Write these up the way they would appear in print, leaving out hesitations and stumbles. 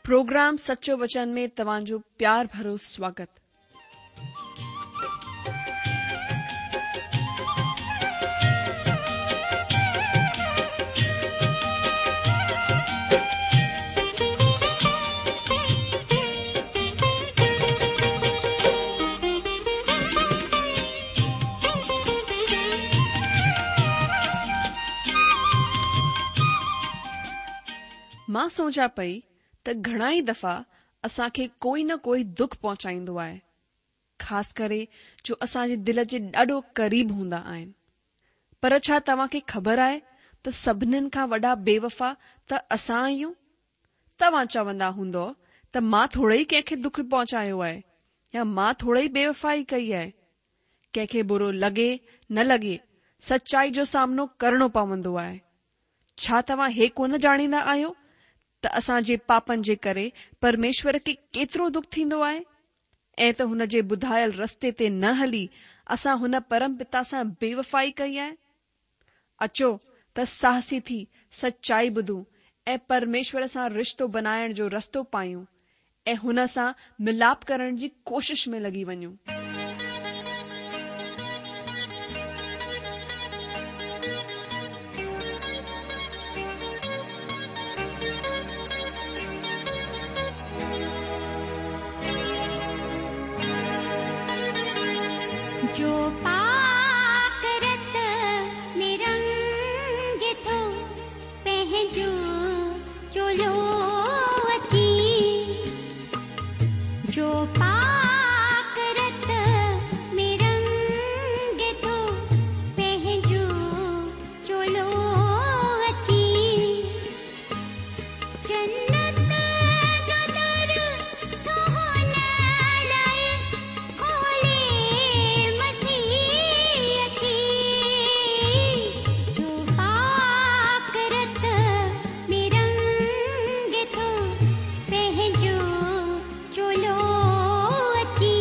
Programme سچو وچن ۾ توهان جو پيار ڀرو سواگت. مان سوچان پئي ته گهڻا ئي دفعا اسان کي ڪوئي نه ڪوئي دک پهچائيندو آهي، خاص ڪري جو اسان جي دل جي ڏاڍو قريب هوندا آهن. پر ڇا توهان کي خبر آهي ته سڀنين کان وڏا بيوفا ته اسان آهيون؟ توهان چوندا هوندؤ ته مان ٿورئي ڪنهن کي دک پهچايو آهي يا مان ٿورئي بيوفائي ڪئي آهي. ڪنهن کي برو لڳي نه لڳي سچائي جو سامنو ڪرڻو پوندو آهي. ڇا توهان هي ڪونه ڄاڻيندا آهيو ته اسان جي پاپن جي ڪري پرميشور کي ڪيترو دک ٿيندو آهي ۽ ته هن جي ٻڌايل رستي تي نه هلي اسان هن پرم پتا سان بيوفائي ڪئي آهي؟ اچو ته ساهسي ٿي سچائي ٻڌون ۽ پرميشور سان رشتو بنائڻ جو رستو پايون ۽ هن سان ملاپ ڪرڻ جي ڪوشش ۾ لڳي وڃون. جو پاڪ رت ۾ رنگي ٿو پنهنجو چولو اچي جو پاڪ رت ۾ رنگي ٿو پنهنجو چولو اچي جنت جو در ٿو هن لاء کولي مسيح اچي جو پاڪ رت ۾ رنگي ٿو پنهنجو چولو اچي.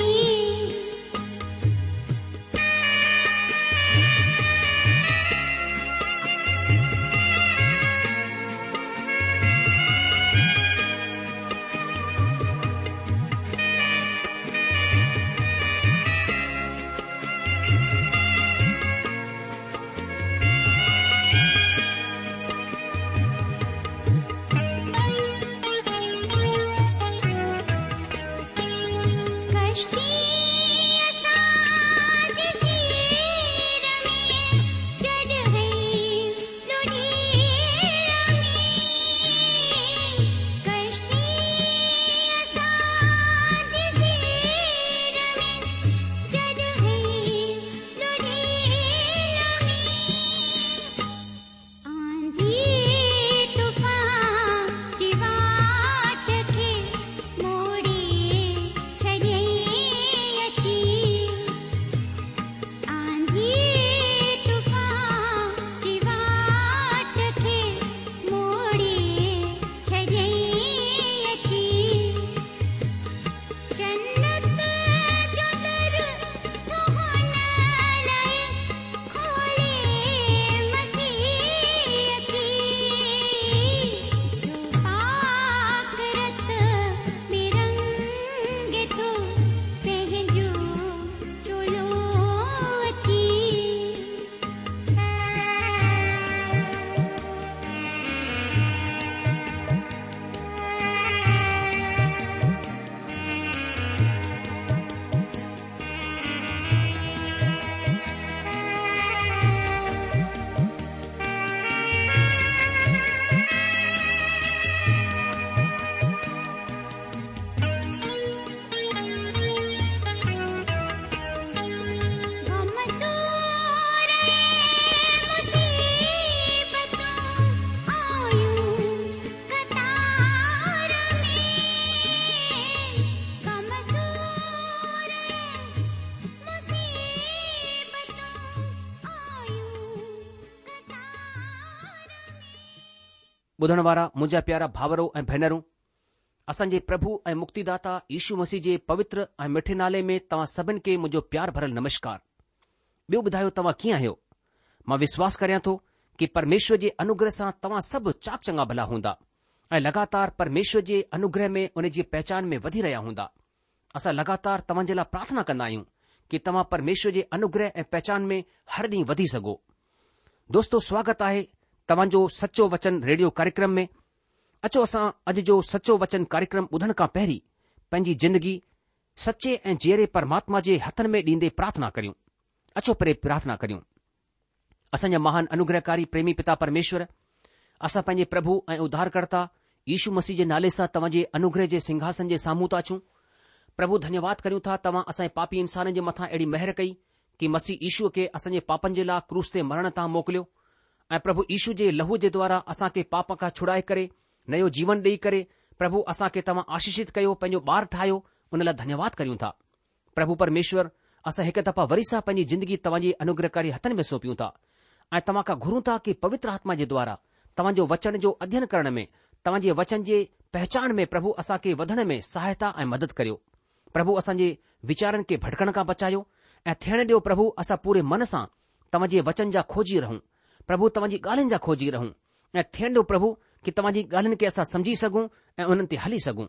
ڪشتي اسان جي سير ۾ جڏهن لڙهي ۾ ڪشتي اسان جي سير ۾ جڏهن لڙهي ۾ آنڌي طوفان جي واٽ کي موڙي ڇڏيائين اچي. آنڌي طوفان جي واٽ کي موڙي ڇڏيائين اچي. جنت جو در ٿو هن لاء کولي مسيح اچي. جو پاڪ رت ۾ رنگي ٿو پنهنجو چولو اچي. غم سور ۽ مصيبتون آيون قطار ۾. غم سور ۽ مصيبتون آيون قطار ۾. ٻڌڻ وارا منهنجا پيارا ڀائرو ۽ ڀينرون، اسان جي پرڀو ۽ مڪتيداتا يشو مسيح جي پوتر ۽ مٺي نالي ۾ توهان سڀن کي منهنجو پيار ڀرل نمشڪار. ٻيو ٻڌايو توهان ڪيئن آهيو؟ مان وشواس ڪريان ٿو ڪي پرميشور جي انوگره سان توهان سڀ چاڪ چڱا ڀلا هوندا. ۽ لڳاتار پرميشور جي انوگره ۾ ان جي پهچان ۾ وڌي رهيا هوندا. اسان لڳاتار توهان جي لاء پرارٿنا ڪندا آهيون ڪي توهان پرميشور جي انوگره ۽ پهچان ۾ هر ڏينهن وڌي سگهو. دوستو سواگت آهي توهان جو سچو وچن ريڊيو ڪاريڪرم ۾. اچو اسان اڄ جو سچو وچن ڪاريڪرم ٻڌڻ کان پهرين پنهنجي زندگي سچي ۽ جيئري پرماتما جي هٿن ۾ ڏيندي پرارٿنا ڪريون. اچو پهرين پرارٿنا ڪريون. اسان جا مهان انوگرهڪاري پريمي پتا پرميشور، اسان پنهنجي پرڀو ۽ اڌارڪرتا يشو مسيح جي نالي سان توهان جي انوگرهه جي سنگهاسن جي سامهون ٿا اچون. پرڀو ڌنيواد ڪريون ٿا توهان اسان جي پاپي انسانن جي مٿان اهڙي مهر ڪئي ڪي مسيح يشوء کي اسان جي پاپن جي لاء ڪروس تي مرڻ تان موڪليو ۽ پرڀو يشو جي لهوء جي دوارا اسان کي پاپ کان ڇڙائي ڪري نيو جيون ڏيئي ڪري پرڀو اسان کي توهان آشيشت ڪيو پنهنجو ٻار ٺاهيو ان لاء ڌنيواد ڪريون ٿا. پرڀو پرميشور، اسان هڪ دفعا وري سان پنهنجي زندگي توهان جي انوگرهڪاري هٿن ۾ سونپيون ٿا ۽ توهان کان گهرون ٿا ڪي پوتر آتما جي دوارا توهان جو وچن جو اڌين ڪرڻ ۾ توهان جي وچن جي پهچان ۾ پرڀو اسان کي وڌڻ ۾ سهائتا ۽ مدد ڪريو. پرڀو اسان جي ويچارن کي ڀٽڪڻ کان بچايو ۽ ٿيڻ ڏيو پرڀو اسان پوري من سان توهان جي وچن جا کوجي رهون. پرڀو توهان جي ڳالهين جا کوجي رهون ۽ ٿيڻ ڏيو پرڀو ڪي توهان جي ڳالهين کي اسان سمجهي سگهون ۽ انهن تي هلي سگهون.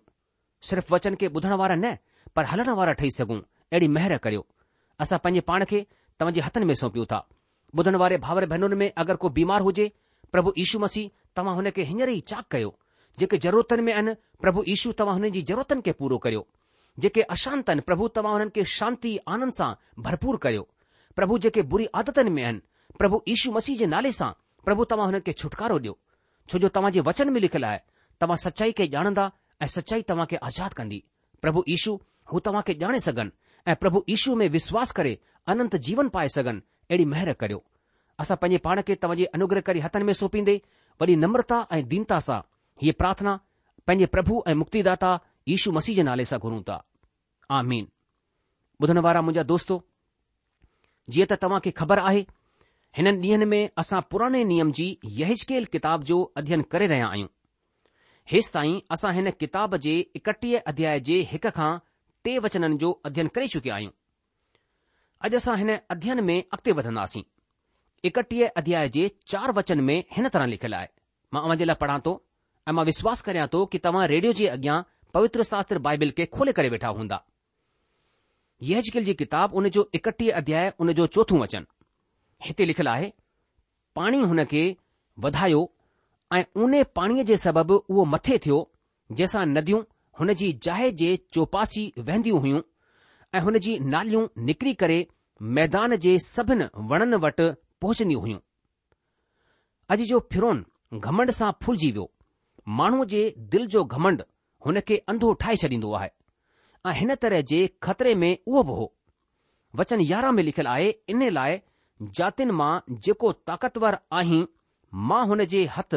صرف وچن کي ٻڌڻ وارا نه پر هلڻ وارا ٺهي سگهون اهڙي مهر ڪريو. اسان پنهنجي پاڻ کي توهان جي هٿن ۾ سونپيون ٿا. ٻڌڻ واري ڀائر ڀينرن ۾ اگر ڪو بيمار هجي پرڀو يشو مسيح توهان هن کي هينئر ئي چاڪ ڪيو. جيڪي ضرورتن ۾ آهن پرڀو يشو توهان هنن جي ضرورتن کي پورو ڪريو. جيڪي اشانت آهن پرڀو توهان هنن کي شانتي آنند سان ڀرپور ڪريو. پرڀو جيڪي بري عادتن ۾ آهن پرڀو يشو مسيح جي نالي سان پرڀو توهان هنن کي ڇوٽڪارو ڏيو. ڇو جو توهان جي وچن ۾ لکيل آهي، توهان سچائي کي ڄاڻندا ۽ سچائي توهان کي آزاد ڪندي. پرڀو يشو، هو توهان کي ڄاڻي سگهن ۽ پرڀو يشو ۾ وشواس ڪري اننت جيون پائي سگهن، اهڙي مهر ڪريو. اسان پنهنجي پاڻ کي توهان جي انوگرهڪاري هٿن ۾ سونپيندي، وڏي نمرتا ۽ دينتا سان هيء پرارٿنا پنهنجي پرڀو ۽ مڪتيداتا يشو مسيح جي نالي سان گهرون ٿا. آمين. ٻڌڻ وارا منهنجا دوستو! جيئن ته توهان کي خبر آهي، هنن ڏينهن ۾ اسان پراڻي نيم جي يحزقيل ڪتاب جو اڌين ڪري رهيا آهيون. هيستائين اسان هن ڪتاب جي 31 اڌياء جي هڪ کان ٽي وچنن جو اڌين ڪري چڪيا آهيون. اڄ اسان هن اڌين ۾ اڳتي وڌنداسين. 31 اڌياء جي چار وچن ۾ هن طرح لکيل آهي. مان اوهان جي لاء پڙهان ٿو ۽ مان وشواس ڪريان ٿو ڪي توهان ريڊيو جي اڳيان پوتر شاستر بائبل کي کولي ڪري ويٺا هوندا. يحزقيل جي ڪتاب ان جو 31 اڌياء ان جو چوٿون وچن. هتي لکيل آهي، پاڻي هن کي وڌايو ۽ اونهي پاڻيء جي سبب اهو مٿي ٿيو، جنهن سان نديون هن جي جاء جي چوپاسي وهنديون هيون ۽ هن جي ناليون نڪري ڪري ميدان جي سڀن وڻن وٽ پهچنديون هيون. اڄ جو فرعون گهمنڊ سان ڦولجي ويو. ماڻهوء جي دل جو گهمنڊ هن کي انڌو ٺاهي ڇڏيندو آهي ۽ هن طرح جي خطري ۾ اهو به هو. وچن 11 ۾ لکيل آهي انهي لاء جاتين مان جيڪو طاقتور آهين مان هن جي هٿ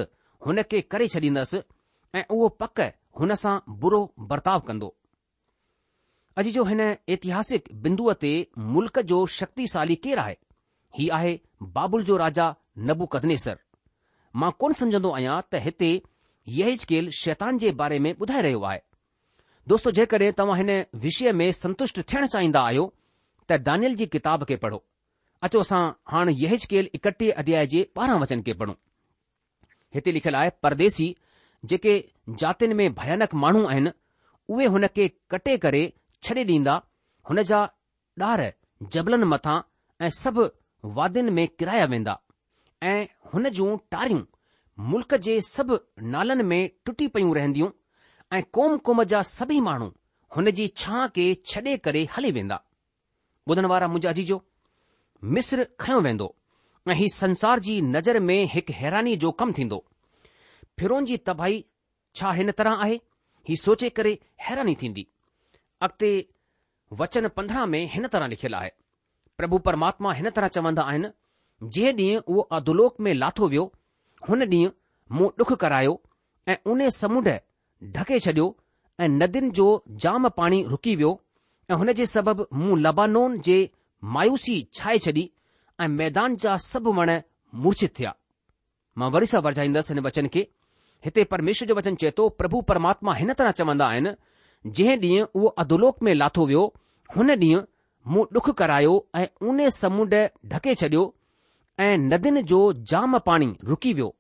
هن کي ڪري ڇڏيندس ۽ اهو پڪ هن سان برو برتاء ڪندو. اڄ جو هن اتهاسڪ بندوء تي ملڪ جو شڪتيسالي ڪير آهي؟ هي آهي بابل جو راجا نبوڪدنيسر. مان ڪونه سمجهندو آهيان ته هتي يحزقيل شيطان جي باري ۾ ٻڌائي رهيو آهي. دوستو جيڪڏهن توهان هن وشيه ۾ سنتشٽ ٿيڻ چاهيندا آهيو ته دانيل جي ڪتاب کي پڙهو. اچو اسان هاڻ يحزقيل 31 اڌياء جي 12 وچن کي پڙهون. هتي لکيل آهي، پرديسي، جيڪي جاتين ۾ ڀيانڪ ماڻهو آهن، اهي هن کي ڪٽي ڪري ڇڏي ڏيندا، هن جا ڏار جبلن مٿان ۽ سڀ وادين ۾ ڪيرايا ويندا، ۽ هن جون ٽاريون ملڪ جي سڀ نالن ۾ ٽٽي پيون رهنديون، ۽ قوم قوم جا سڀئي ماڻهو هن جي ڇانهه کي ڇڏي ڪري هلي ويندا. ٻڌڻ وارا منهنجا عزيزو! مصر کنيو ويندو ۽ هي سنسار جي نظر ۾ هڪ حيراني جو ڪم ٿيندو. فرعون جي تباهي ڇا هن طرح آهي؟ هي سوچي ڪري حيراني ٿيندي. اڳتي وچن 15 ۾ هن طرح لکيل آهي، پرڀو پرماتما هن طرح چوندا آهن، جنهن ڏينهن اهو اڌولوڪ ۾ لاٿو ويو، هن ڏينهن مون ڏک ڪرايو ۽ اونهي سمنڊ ڍڪي ڇڏيو ۽ ندين جو جام پاڻي رڪي ويو ۽ هن جي سبب مون لبانون جي مايوسي ڇائي ڇڏي ۽ ميدان جا سڀ وڻ مورڇت ٿيا. مان وري سان ورجائيندس هن وچن کي. هتي پرميشور جو وچن چئي ٿو، پرڀو پرماتما هن طرح چوندا آهن، جنهن ڏينهن اهو اڌولوڪ ۾ لاٿو ويو، هن ڏينهن مون ڏک ڪرايو ۽ اونهي سمنڊ ڍڪي ڇڏيو ۽ ندين جو جام پاڻي رڪي ويو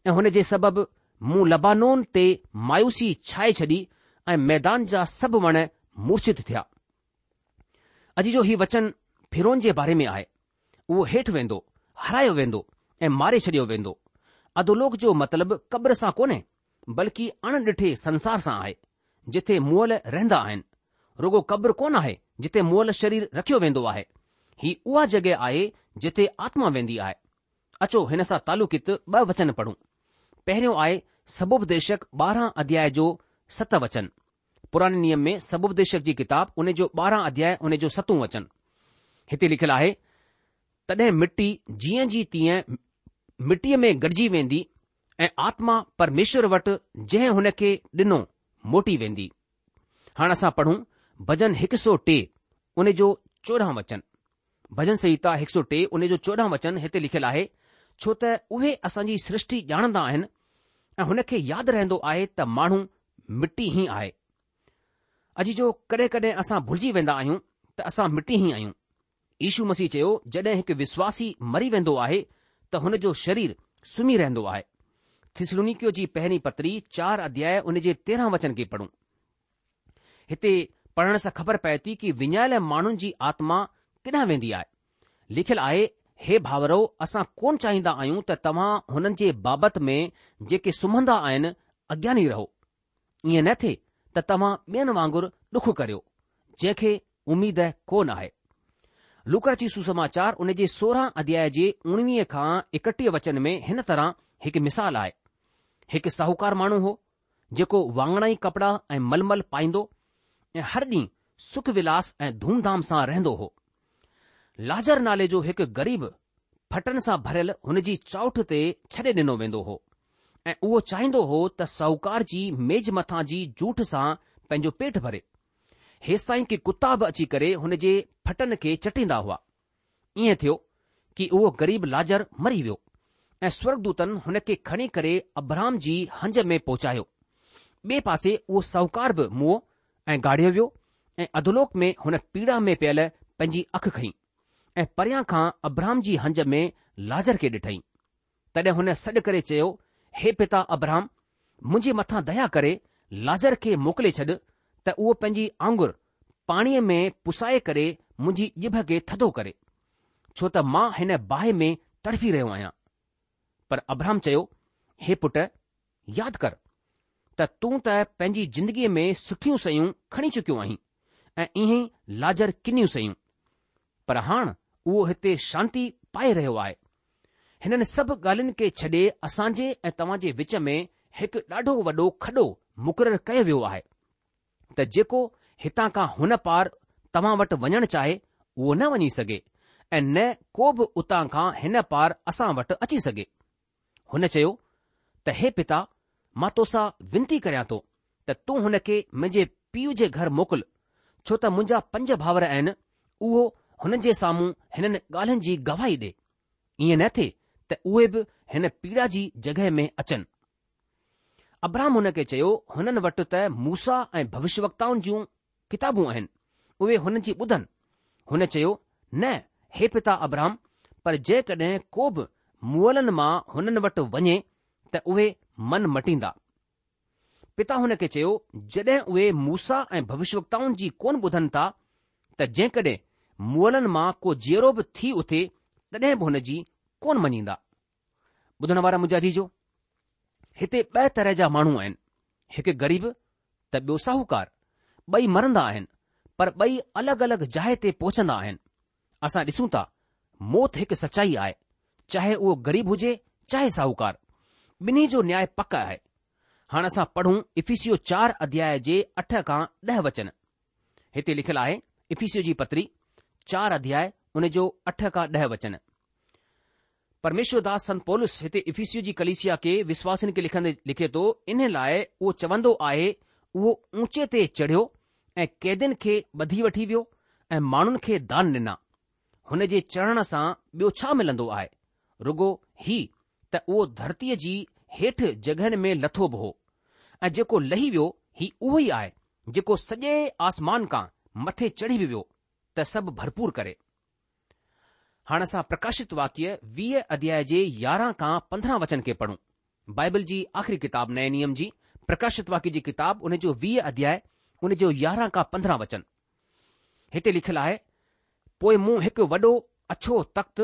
۽ هن جي سبب مون لبانون تي مايوسي ڇائي ڇڏي ۽ ميدان جا سڀ وڻ مورڇت ٿيا. عزيزو هي وچن فرعون جي باري ۾ آهي. اهو هيٺ ويندو، هارايو ويندو ۽ ماري ڇڏيو ويندو. اڌولوڪ جو مطلب قبر سان ڪونهي، بلڪه اڻ ڏٺي سنسار سان آهي، جٿي مئل رهندا آهن. رڳو قبر ڪونه آهي جتي مئل شرير رکيو ويندو آهي. هي اها جڳهه آهي جتي آتما ويندي آهي. اچو هن سان تعلقيت ٻه وچن پڙهون. پهريون آهي سڀوپديشڪ 12 اڌياء جو ست وچن. پراڻي نيم ۾ سڀوپديشڪ جي ڪتاب ان جو 12 اڌياء ان جو ستون وچن. هتي لکيل آهي، تڏهن مٽي جيئن جي تيئن مٽيء ۾ گڏجي ويندي ۽ آتما پرميشور وٽ جنهن هن کي ڏنو موٽي ويندي. هاڻ اسان پڙهون ڀڄن هڪ سو ٽي ان جو 14 وچن. ڀڄن سنهتا هڪ سو ٽي ان جو 14 وچن هتي لکيل آهي، ڇو ته اهي اسان جي سرشٽي ڄاڻندا آهن ۽ هن کي ياد رهندو آهي ته ماڻهو مٽي ئي آهي. عزيزو ڪڏهن ڪڏهن اسان ڀلجي ويندا آهيون ته اسان مٽي ئي آهيون. يشو مسيح چيو جڏهن هڪ وشواسي مري ويندو آهي ته هن جو شرير سمهي رهندو آهي. ٿيسلونيڪيو جي پهرين پتري چار اڌياء ان جي 13 وچن کي پڙهون. هتي پڙهڻ سان خبر پئي ٿي ڪي وڃايل ماڻهن جي آتما ڪيڏانهن ويندي آهي. لکيل آهي، هي ڀائرؤ اسان ڪونه چاهيندا آهيون ته توهان هنن جي بابت ۾ جيڪي سمهندا آهن اگياني رهو. ائين نه ٿئي ته توهان ٻين وانگر ڏک ڪريو، جنهن کي اميد ڪونه آهي. لوڪا رچت سوسماچار ان جي 16 اڌياء جي 19 کان 31 وچن ۾ هن طرح هڪ مثال آهي. هڪ ساهوڪار ماڻهو هو، جيڪو واڱڻائي ڪپڙا ۽ ململ پائيندو ۽ هر ڏينهن سک ولاس ۽ ڌوم ڌام سان رهندو هو. لاجر نالي جو هڪ غريب ڦٽن سان ڀريل هن جي چائنٺ تي ڇڏي ڏنو ويندو هو ۽ اهو چاهيندو هو ته ساهوڪار جي ميز مٿان جي جوٺ سان پنهنجو پيٽ ڀري. هيستائين ڪي ڪتا به اچي ڪري هن جي ڦٽن کي چٽيندا هئا. ائين ٿيو ڪي اهو غريب لاجر مري ويو ۽ سورگدوتن هن کي کڻي ڪري ابرهام جي هنج ۾ پهچايو. ٻئي پاسي اهو ساهوڪار به موئو ۽ گاڙيو ويو ۽ اڌولوڪ ۾ هن پيڙا ۾ پيل پنهنجي اک کنئي ۽ پريان کان ابرهام جي هنج ۾ لاجر کي ڏٺائين. تڏهن هن سڏ ڪري چيو، هي پتا ابرهام، منهنجي مٿان ديا ڪري لاجر کي موڪلي ڇڏ ته اهو پنهنجي آڱر پاڻيء ۾ پسائي ڪري منهنجي ڄڀ کي ٿڌو ڪري، ڇو ته مان هن باهه ۾ تڙڦي رهيو آهيان. پر ابرهام چيو، هي پٽ، ياد ڪر ته تون ته پنهنجي زندگيء ۾ سٺيون شيون کڻي چڪيو آهين ۽ ائين ئي لاجر ڪنيون شيون، پر هاڻ اهو هتي شانتي پائي رهيو آهي. هنن سڀ ڳالهين کي ڇڏي اسان جي ۽ توهان جي وچ ۾ هڪ ڏاڍو وڏو کڏو مقرر ڪيو ويو آهي ته جيڪو هتان کان هن پار توهان وٽ وڃڻ چاهي اهو نه وڃي سگهي ۽ نه ڪو به اتان کان هن پار اسان وٽ اچي سگهي. هن چيو ته هي پتا مان توسان ونتي ڪريان ٿو ته تون هن کي منهنجي پيء جي گهر موڪل ڇو ته منهنجا پنج ڀائر آهن اهو هنن جي سامهون هنن ڳالهين جي گواهي ڏي. ائين نه ٿئي ته اهي به هن پيڙا جي جڳهه ۾ اچن. ابرهام هن کي چيو، هنن وٽ ته موسيٰ ۽ ڀوشيوڪتائن جون ڪتابون آهن، اهي هنن جي ٻڌن. هن چيو، نه، هي پتا ابرهام، پر جيڪڏهن ڪو به مئلن مان هنن وٽ وڃي ته اهي من مٽيندا. پتا هن کي چيو، جڏهن اهي موسيٰ ۽ ڀوشيوڪتائن جي ڪونه ٻڌن ٿا ته جيڪڏهن مئلن مان ڪو جيئرو به ٿي اٿي تڏهن به هن جي ڪونه مڃيندا. ٻڌڻ وارا منهنجا عزيزو! هتي ٻه طرح جا ماڻهو آهن، هڪ غريب ته ٻيو ساهوڪار. ٻئي مرندا آهن، پر ٻئي الڳ الڳ جاء تي پهچندا آهن. اسان ڏسون ٿا موت هڪ سچائي آهي، چاهي اهو غريب هجي چاهي ساهوڪار، ٻنهي جو نياء پڪ آهي. هاڻ اسان پڙهون افيسيو چار اڌياء جي اٺ کان ڏهه وچن. هتي لکيل آهي، افيسيو جي پتري، چار اڌياء ان جو اٺ کان ڏهه وچن. پرميشور داس سنت پولس هتي افيسيو جي ڪليسيا کي وشواسين کي لکندي لکي ٿو، انهي لاء اهو چوندو آهي، اهو اونچي تي چڙهيو ۽ قيدين کي ٻڌي وٺي ويو ۽ ماڻهن کي دان ڏنا. هن جي چڙهڻ سان ٻيو ڇا ملندو آهي؟ رڳو هي ته اهو ڌرتيء جي هيٺ جڳهين ۾ لٿو به هو. ۽ جيڪو لهي ويو هي اهو ئي آهي جيڪو سڄي آسمان کان مٿي چڙهي به ويو ته سڀ ڀرپور ڪري. هاڻ اسان پرڪاشت واڪيه 20 اڌياء جي 11 کان 15 وچن کي پڙهون. بائبل جي آخري ڪتاب نئين نيم جي پرڪاشت واڪيه جي ڪتاب ان جو 20 اڌياء ان جو 11 کان 15 وچن. هتي لکيل آهي، پوء مون هڪ وڏو اڇو تخت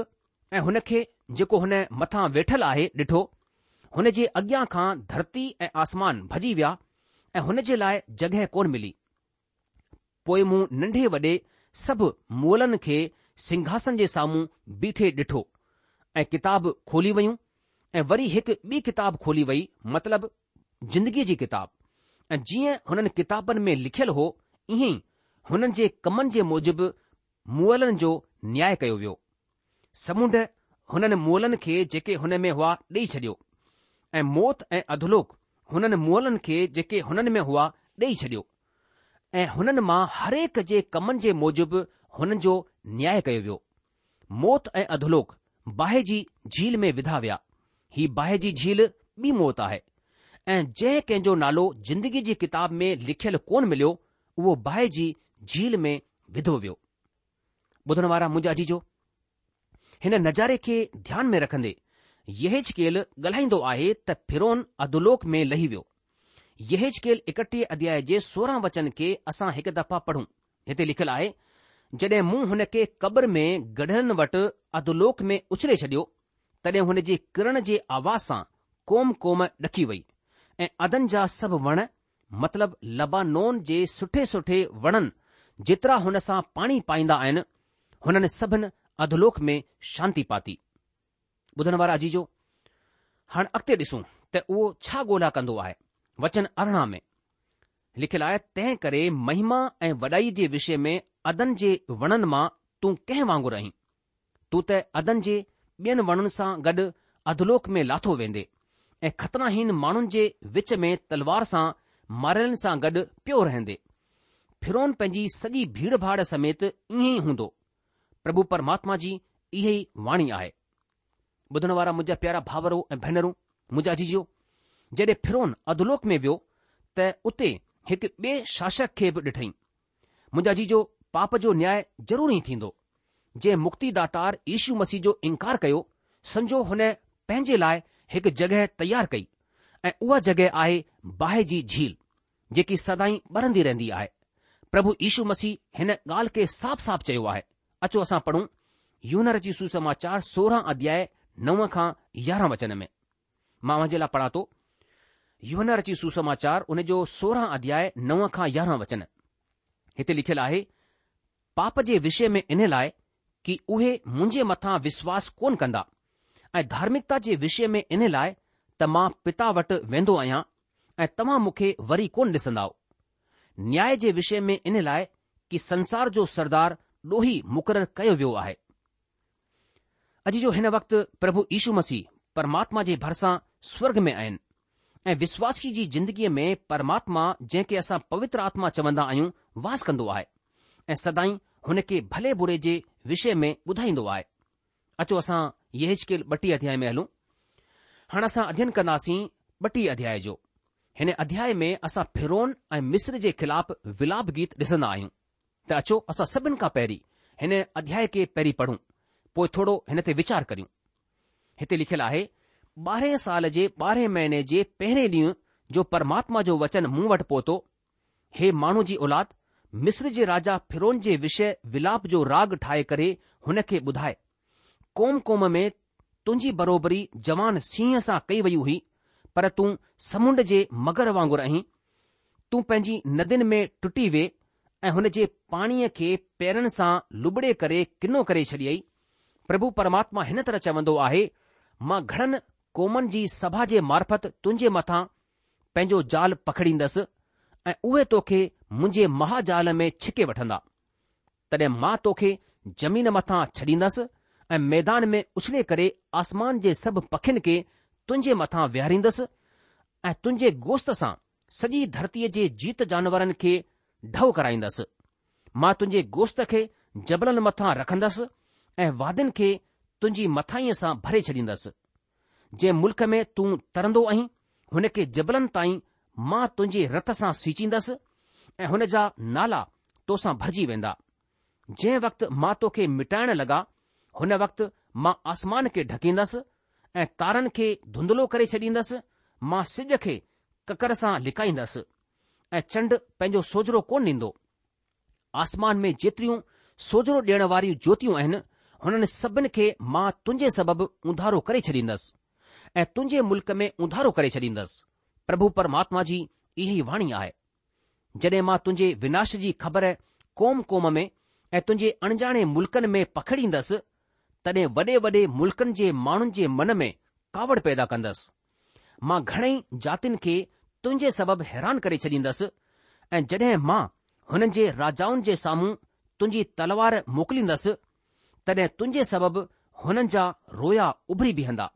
۽ هن کي جيڪو هن مٿان ويٺل آهي ڏٺو، هن جي اڳيان کان ڌرتي ۽ آسمان ڀڄي ويا ۽ هن جي لاء جڳهه ڪونه ملي. پوء مون ننڍي وڏي سڀ مئلن کي سنگهاسن جي سامهون بيٺي ڏٺو ۽ ڪتاب کولي ويون ۽ وري هڪ ٻي ڪتاب کولي وئي مطلب زندگيء جي ڪتاب ۽ جيئن هنن ڪتابن ۾ لکيل هو ائين ئي هنن جي ڪمن جي موجب مئلن جو نياء ڪيو ويو. سمنڊ هنن مئلن کي جيڪي هن ۾ هئا ڏيئي ڇڏيو ۽ موت ۽ اڌولوڪ هنن مئلن کي جيڪي هنن ۾ هئا ڏيئي ڇڏيو ۽ هنن مان هرهڪ جي ڪمن جي موجب هنن جو نياء ڪيو ويو. موت ۽ اڌولوڪ باهه جي جهيل ۾ وڌا ويا. هي باهه جي جهيل ٻي موت آهي. ۽ جنهن ڪنهن جو نالو زندگيء جي ڪتاب ۾ لکيل ڪونه مليو، اهو باهه جي جهيل ۾ وڌو ويو. ٻڌڻ وارا منهنجا عزيزو! هن نظاري کي ڌيان ۾ رکندي يحيزڪيل ڳالهائيندو آهي ته فرعون اڌولوڪ ۾ لهي ويو. يحيزڪيل 31 اڌياء جي 16 وچن کي اسان هڪ دفعا پڙهون. هتي لکيل آهي، جڏهن مون هن کي قبر ۾ گڏيلن وٽ اڌولوڪ ۾ اڇلي ڇڏيو، تڏهن هن جي ڪرڻ جي آواز سان قوم قوم ڏڪي وئي ۽ عدن جا سڀ وڻ مطلب لبانون جي سٺي سٺي وڻن جيترا هن سان پاڻي پائيندا آهن، هنن سڀن اڌولوڪ ۾ شانتي پاتي. ٻڌڻ وارا عزيزو! هاڻ اڳتي ڏسون ته اهو ڇا ڳولا ڪندو آهي. وچن 18 ۾ لکيل آهي، تنهن ڪري مهما ۽ وڏائي جي وشي ۾ عدن جي وڻن مان تون ڪنهن وانگر آهين؟ تون ته عدن جي ٻين وڻن سان گڏ اڌولوڪ ۾ لاٿو ويندي ۽ ختناهين ماڻهن جي وچ ۾ تلوار سان ماريلن سان گڏ پيو رهندي. فرعون پنهنجي سڄي ڀيڙ ڀاڙ سميت ائين ئي هوندو. پرڀو پرماتما جي اها ئي واڻي آهي. ٻڌڻ وارا منهنجا پيارا ڀاورو ۽ ڀينرون، منهنجا عزيزو، جڏهن فرعون اڌولوڪ ۾ ويو ته اتي هڪ ٻئي شاشڪ کي به ڏٺئين. منهنجا عزيزو، پاپ جو نياء ضرور ئي ٿيندو. جنهن مڪتي داتار يشو مسيح جو انڪار ڪيو، سمجهو هن پنهنجي لاء هڪ جڳهه تيار ڪئي ۽ اها جڳهه آهي باهه جي جهيل، جيڪي سدائين ٻرندي رهندي آهي. پرڀو يشو مسيح هن ڳالهه کي صاف صاف چيو آهي. اچو اسان پڙهون يوحنا رچي سوسماچار 16 اڌياء 9 کان 11 وچن ۾. مان اوهان جي لاء پڙهان ٿو. يوحنا رچي سوسماچار ان جو 16 اڌياء 9 کان 11 وچن. هتي لکيل آهي، پاپ جي وشي ۾ ان لاء ڪي اهي منهنجي مٿان وشواس ڪونه ڪندا ۽ ڌارمڪتا جي وشي ۾ ان لاء ته مان پتا وٽ ويندو آهيان ۽ توهان مون کي وري ڪونه ڏسندائو. نياء جي وشي ۾ ان لاء ڪي سنسار جو سردار ڏوهي مقرر ڪيو ويو آهي. عزيزو هن وقت پرڀو يشو مسيح پرماتما جي ڀرسان سورڳ ۾ آهن ۽ وشواسي جي زندگيء ۾ پرماتما جنهن کي اسان پوتر آتما چوندا آهيون واس ڪندو آهي ۽ سدائين هن کي ڀلي بري جي وشي ۾ ٻڌائيندو آهي. اچو اسان يحيزڪيل 32 اڌياء ۾ هلون. هاڻ اسان اڌين ڪنداسين 32 اڌياء جو. هن اڌياء ۾ اسان فرعون ۽ مصر جي خلاف ولاپ گيت ڏسندا آهيون. ته اچو اسان سڀن کان پهرين هن اڌياء کي پهرين پڙهون، پوء ٿورو هن تي ويچار ڪريون. هتي لکيل آهي، ٻارهين سال جي ٻارهين مهيني جي پهرين ڏينهن جو پرماتما جو وچن مون وٽ پهتو، هي ماڻهو جي اولاد، مصر جي راجا فرعون جي وشيه ولاپ جو راڳ ٺاهي ڪري هن کي ٻڌاء. قوم قوم ۾ تنهنجي بروبري جوان سينهن سان ڪئي وئي هئي، پر تون سمنڊ جي مگر وانگر آهين. تون پنهنجي ندين ۾ ٽٽي وئي ۽ هن جي پاڻيء کي پيرن سان لٻڙي ڪري ڪنو ڪري ڇڏيئي. پرڀو پرماتما هن طرح چوندو آهي، مان گهڻن قومن جي سڀا جي معرفت تنهنجي مٿان پنهنجو جال پکيڙيندس ۽ اهي توکي منهنجي مهاجال ۾ ڇڪي وٺندا. تڏهن مان توکي زمين مٿان ڇڏيندس ۽ ميدان ۾ اڇلي ڪري آسمان جي سڀ پکين کي تنهنجي مٿان ويهاريندس ۽ تنهنجي گوشت سان سڄي ڌرتيء جي جيت جانورن کي ڍؤ ڪرائيندس. مان تنهنجي گوشت کي جبلن مٿان رکندس ۽ وادين کي تنهنجي مٿاهينء سان ڀري ڇڏيندس. جنهن ملڪ ۾ تون ترندو آهين، هن کي جبلن تائين مان تنهنجي رت سان سيچيندس ۽ هن جا نالا توسان ڀرجي ويندا. جنهن وقت مان توکي مٽائڻ لڳان، هن وقت مان آسمان کي ڍڪيندس ۽ تارن کي ڌنڌلو ڪري ڇڏيندس. مان سج کي ڪڪر سان لڪائيندس ۽ چنڊ پنهنجو سوجهرو ڪونه ڏيندو. آسمان ۾ جيتريون سوجهرو ڏيڻ واريون جوتيون آهن، هنن سڀن کي مان تنهنجي سبب اونڌارو ڪري ڇڏيندس ۽ تنهنجي ملڪ ۾ اونڌارو ڪري ڇڏيندس. پرڀو پرماتما جي اها ئي واڻي آهي. جڏهن مان تنهنجي وناش جي خبر قوم قوم ۾ ۽ تنهنجي اڻڄاڻي ملڪن ۾ پکيڙيندس، تڏهن وڏي وڏي ملڪن جي ماڻهن جي من ۾ ڪاوڙ پيدا ڪندس. مان گهڻئي جاتين کي تنهنجي سبب حيران ڪري ڇڏيندس ۽ جڏهن مان هنن جي راجائن جي سامهون تنهنجي تلوار موڪليندس، تڏهن تنهنجي سبب هنن جا رويا اڀري بيهندا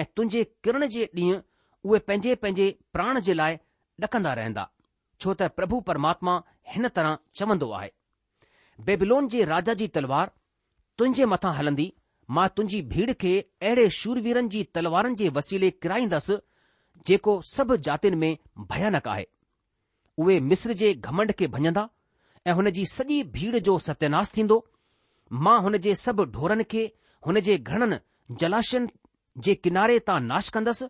۽ تنهنجي ڪرڻ جي ڏينهن اهي پنهنجي پنهنجي پراڻ جي لاء ڏڪندا رهندا، ڇو ته پرڀو پرماتما هن طرح چوندو آهي. بيبلون جي راجا جي تلوار تنهنجي مٿان هلندي، مان تنهنجي ڀيڙ کي اهڙي شورويرن جي تلوارن جي وسيلي ڪرائيندس، جيڪو سڀ جاتين ۾ ڀيانڪ آهي. اهي مصر جي گهمنڊ کي ڀڃندا ۽ هن جي سڄي ڀيڙ جو ستياناس ٿيندو. مان هن جي سڀ ڍورن کي هن جي گهڻن جلاشين جي ڪناري تان ناش ڪندس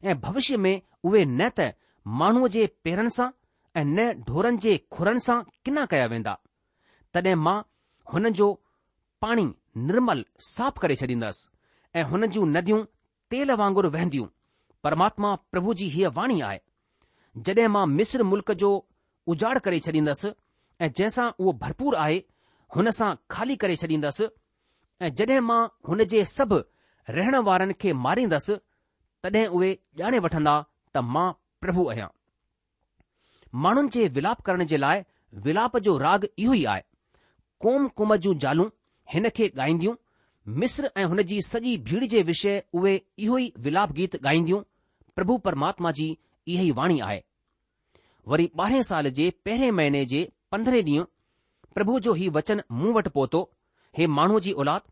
۽ ڀوشيه ۾ اهي نه ته ماڻهوء جي پيرن سان ۽ نه ڍورن جي کرن سان ڪنا ڪيا ويندا. تڏهن مان هنن جو پاڻي نرمل صاف ڪري ڇڏيندس ۽ هنن جون نديون تيل وانگر وهنديون، پرماتما پرڀو جي هيء واڻي آهي. جڏهن مان مصر ملڪ جو اجاڙ ڪري ڇڏيندس ۽ جنهن سان اهو ڀرپور آهي، هن سان خالي ڪري ڇڏيندس ۽ جڏهن مان هن جي سڀ رهڻ وارن کي ماريندس، تڏهن اهي ڄاڻي وٺندا ته مان پرڀو آهيان. ماڻهن جي ولاپ ڪرڻ جي لاء ولاپ جو راڳ اهو ئي آهي. قوم قوم جون زالون هن کي ڳائينديون، مصر ۽ هن جي سڄي ڀيڙ جي وشيه اهي اهو ئي ولاپ گيت ڳائينديون، پرڀو پرماتما جي اها ئي واڻي آهي. وري ٻارهين سال جي پهرين مهيني جي پندرهين ڏينهن پرڀو جو هي وچن مون وٽ پهتو، هي ماڻهوء جي اولاد،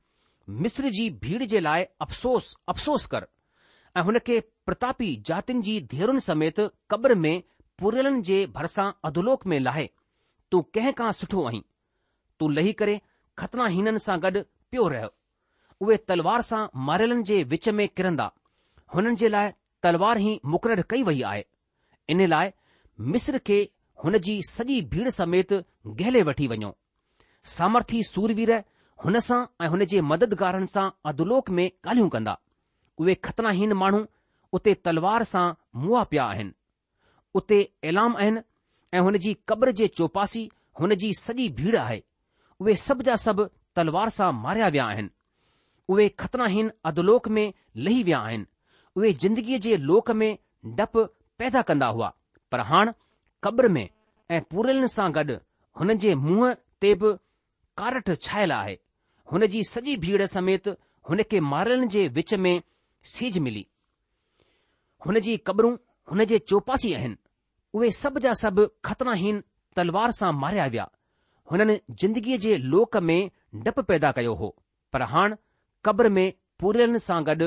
مصر جي ڀيڙ جي لاء افسوس، افسوس ڪر، ۽ هن کي پرتاپي جاتين جي ڌيئرن سميت قبر ۾ پوريلن جي ڀرسان اڌولوڪ ۾ لاهي، تون ڪنهن کان سٺو آهين؟ تون لهي ڪري ختناهينن سان گڏ پيو رهه. اهي تلوار سان ماريلن جي وچ ۾ ڪرندا، هنن جي لاء تلوار ئي مقرر ڪئي وئي آهي. ان لاء مصر کي هن جي سڄي ڀيڙ سميت گهلي وٺي وڃو. سامرٿي سوروير هن سان ۽ هن جي مددگارن سان اڌولوڪ ۾ ڳالهيون ڪندا. اهي ختناهين ماڻهو اتي تلوار سان مئا پيا آهن. اتي ايلام آهن ۽ هن جي قبر جي چوپاسي هن جي سڄي ڀيڙ آهي. اهي سڀ جا سڀ تلوار سان ماريا ويا آهن. اهي ختناهين اڌولوڪ ۾ لهي ويا آهن. اهي زندگيء جي لوڪ ۾ ڊپ پيدا ڪندا هئا، پر هاڻ قبر ۾ ۽ پوريلن سان گڏ هنن جي منهن تي به ڪارٺ ڇانيل آهي. هن جي سڄي ڀيڙ سميت هن کي ماريلن جي وچ ۾ سيج ملي. هن جي قبرون هن جي چوپاسي آهن. اهي سڀ جا سڀ ختناهين تلوار سان ماريا ويا. هنن زندگيء جي لوڪ ۾ ڊپ پيدا ڪيو هو، پر هاڻ قبر ۾ پوريلن سان گڏ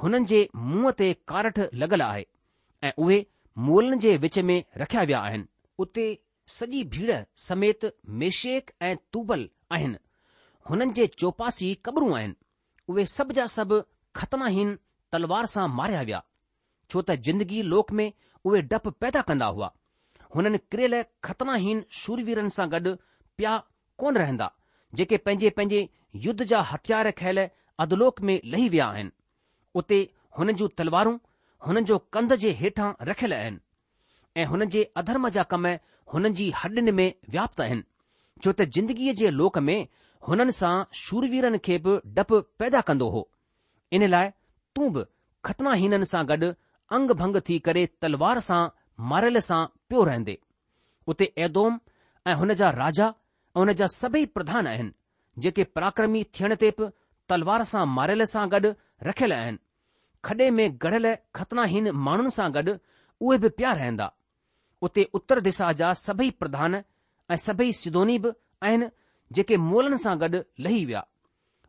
هنن جي منهن تي ڪارٺ لڳل آهي ۽ اهي مئلن جي وچ ۾ رکيا ويا آهن. اتي سڄي ڀيڙ سميت ميشيڪ ۽ توبل آهن، هنن جي چوپاسي قبرون آهن، اهي سڀ جا سڀ ختناهين تلوار سان ماريا ويا، ڇو ته زندگي لوڪ ۾ اهي ڊپ پيدا ڪندا هئا. هنن ڪريل ختناهين شورويرن سان گڏ پيا ڪونه رهندا، جيڪي پنهنجي پنهنجي يڌ جا هٿيار کنيل اڌولوڪ ۾ لهي ويا آهن. اتي هنن جون تلوارون هنن جو ڪنڌ جي هيٺان رکيل آهن. ۽ هنن جي اڌرم جا ڪم هنن جي هڏين ۾ وياپت آهن، ڇو ته زندگيء جي لوڪ ۾ هنن سان شورويرن کي به ڊپ پيدا ڪندو هو. ان لاء تون به ختناهينن سان گڏ انگ ڀنگ ٿي ڪري تلوار سان ماريل سان پيو رهندي. اتي ايدوم ۽ هن جا راجا ۽ هن جا سڀئي پرڌان آهن، جيڪي پراڪرمي ٿيڻ تي به تلوار سان ماريل سان گڏ رکيل آهن. کڏي ۾ گڙيل ختناهين ماڻهن سان گڏ اهي به پيا رهندا. اتي اتر دسا جا سڀئي پرڌان ۽ سڀئي سيدوني به آهن جيڪي مئلن سان گڏ لهي ويا.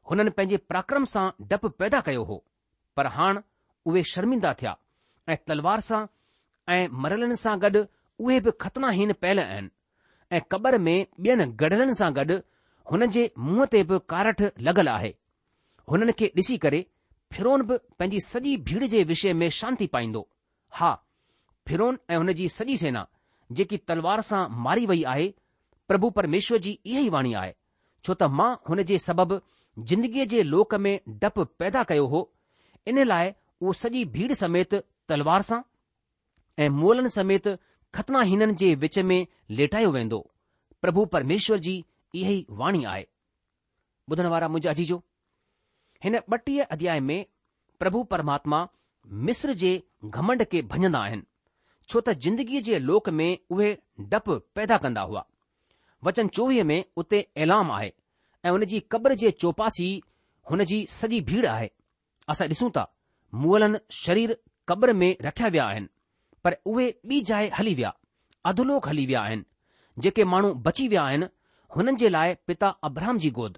هنن پنهنجي پراڪرم سان ڊپ پيدا ڪيو هو، پر هاڻ اهي شرمندا ٿيا ۽ تلوار سان ۽ مريلن سان گڏ اهي به ختناهين پيل آهن ۽ قبر ۾ ٻين گڙيلن سان گڏ هنن جي منهن تي به ڪارٺ لڳل آهي. هنن کي ڏسي ڪري فرعون به پنهنجي سڄي ڀيڙ جي وشي ۾ شانتي پائيندو. ها، فرعون ۽ هن جي سڄي سينا، جيڪي تلوار سان ماري وئي آهي، پرڀو پرميشور جي اها ئي واڻي آهي، ڇو ته مان هن جي سبب زندگيء جي لوڪ ۾ ڊپ پيدا ڪيو هو، ان لاء اهو سڄي ڀيڙ سميت تلوار سان ۽ مئلن سميت ختناهينن جي وچ ۾ ليٽايو ويندو، پرڀو پرميشور جي اها ئي واڻي آهي. ٻڌڻ وارا منهنجا عزيزو! هن 32 اڌياء ۾ پرڀو پرماتما مصر جي گهمنڊ کي ڀڃندا آهن، ڇو ته زندگيء جي لوڪ ۾ اهي ڊپ پيدا ڪندا هئا. وچن 24 ۾ اتي ايلام آهي ۽ ان جي قبر جي چوپاسي هن جي سڄي ڀيڙ آهي. اسان ڏسون ٿا مئلن شرير قبر ۾ رکيا ويا آهن، پر اهي ٻي جاء هلي ويا، اڌولوڪ هلي ويا آهن. جيڪي ماڻهو بچي ويا آهن، هنن جي لاء پتا ابرهام جي گود.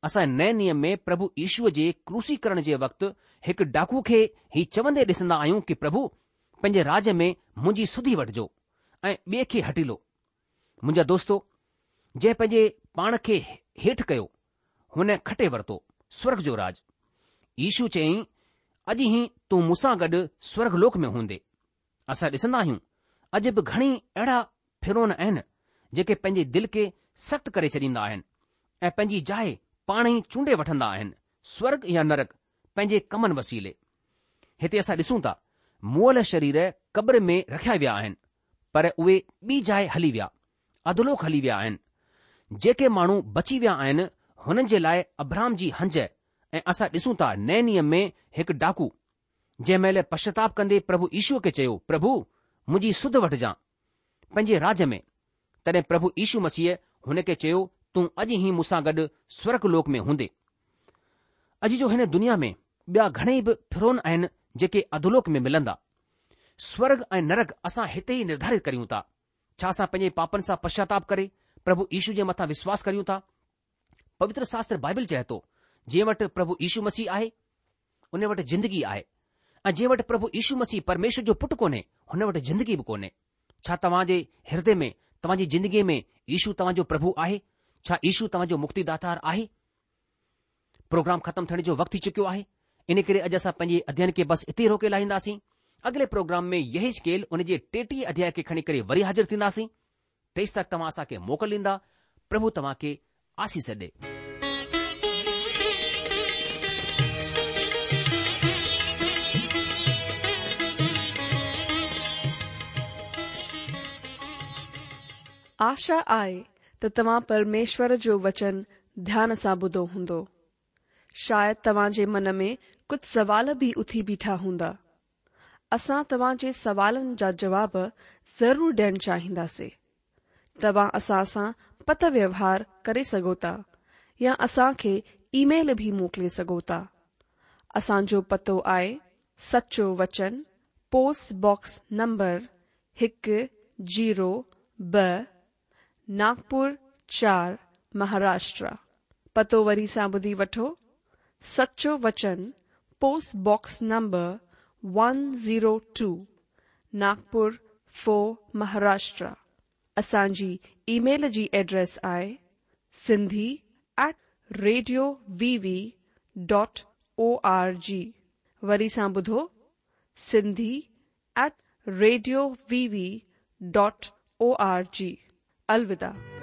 اسان نئين نيم ۾ پرڀو يشوء جي ڪروسيڪرڻ جي وقت هڪ ڊاڪو کي هي چوندي ڏسندا آهيون ڪي پرڀو پنهنجي راڄ ۾ منهنجي سڌي وٺجو ۽ ٻئي کي هٽيلو. منهنجا دوستو جنهن پنهنجي پاڻ کي هيٺ ڪيو هن کٽي ورتو سورگ جو راڄ. يشو چيائين اڄ ئي تون مون سان گڏ سورگ لوڪ ۾ هوندي. اسان ڏسندا آهيون اڄ به گهڻي اهڙا فرعون آهن جيڪي پنهنجي دل کي سخت ڪري ڇڏيندا آهن ۽ پنهنجي جاء پاڻ ئي چونڊي وٺندا آهن سورگ يا نرڪ پنهنجي ڪمن وسيلي. هتي اسان ڏسون ٿا مئل شرير قبر ۾ رکيا ويا آهن پر اهي ٻي جاء هلي ويا، اڌولوڪ هلي ويا آهن. جيڪي ماڻهو بچي ويا آهن هنن جي لاء ابرهام جي هنج ۽ اسان ڏسون ٿا نئين نيم ۾ هڪ ڊاڪو جنهن مهل پشچاتاپ ڪندي پرڀو يشوء کي چيو، پرڀو، منهنجي سڌ وٺجان، پنهنجي راڄ ۾. تڏهن پرڀو يشو مسيح هن کي چيو، تون اڄ ئي مون سان گڏ سورڳ لوڪ ۾ هوندين. اڄ جو هن دنيا ۾ ٻيا گهڻيئي به فرعون آهن جيڪي اڌولوڪ ۾ ملندا. سورڳ ۽ نرڪ اسان هتي ئي نرڌارت ڪريون ٿا. ڇا اسان پنهنجي پاپن سان پشچاتاپ ڪري پرڀو يشو جي مٿان وشواس ڪريون ٿا؟ پوتر شاستر بائبل چئي ٿو، جنهن وٽ پرڀو يشو مسيح آهي، ان وٽ زندگي آهي ۽ جنهن وٽ پرڀو يشو مسيح پرميشور جو پٽ ڪونهي، هن وٽ زندگي به ڪونهي. ڇا توهان جي هردي ۾، توهان جي زندگيء ۾ يشو توهان جو پرڀو آهي؟ ڇا يشو توهان جو مڪتيداتار آهي؟ پروگرام ختم ٿيڻ جو وقت ٿي چڪيو آهي، ان ڪري اڄ اسان پنهنجي اڌيين کي بس اتي ئي روڪي لاهينداسين. اڳلي پروگرام ۾ يحيزڪيل ان جي 33 اڌياء کي کڻي ڪري وري حاضر ٿينداسين. تيستڪ توهان اسان کي موڪل ڏيندا. پرڀو توهان کي آسيس ڏي. آشا آهي ته توهان پرميشور جو وچن ڌيان سان ٻڌو هوندو. شايد توهان جي من ۾ ڪجهه سوال به اٿي بيٺا هوندا. اسان توهان جي سوالن جا جواب ضرور ڏيڻ چاهينداسي. توهان اسان سان پتر ويوهار ڪري سگهو ٿا يا اسان کي اي ميل به موڪلي سگهو ٿا. اسان جو پتو آهي سچو وچن پوسٽ باڪس نمبر هڪ زيرو ٻه ناگپور چار مهاراشٽرا. پتو وري سان ٻڌي وٺو سچو وچن post box number one zero two Nagpur four Maharashtra. اسان جي اي ميل جي ايڊريس آهي Sindhi at radio V V dot O R G وري سان ٻڌو Sindhi at radio V V dot O R G. الوداع.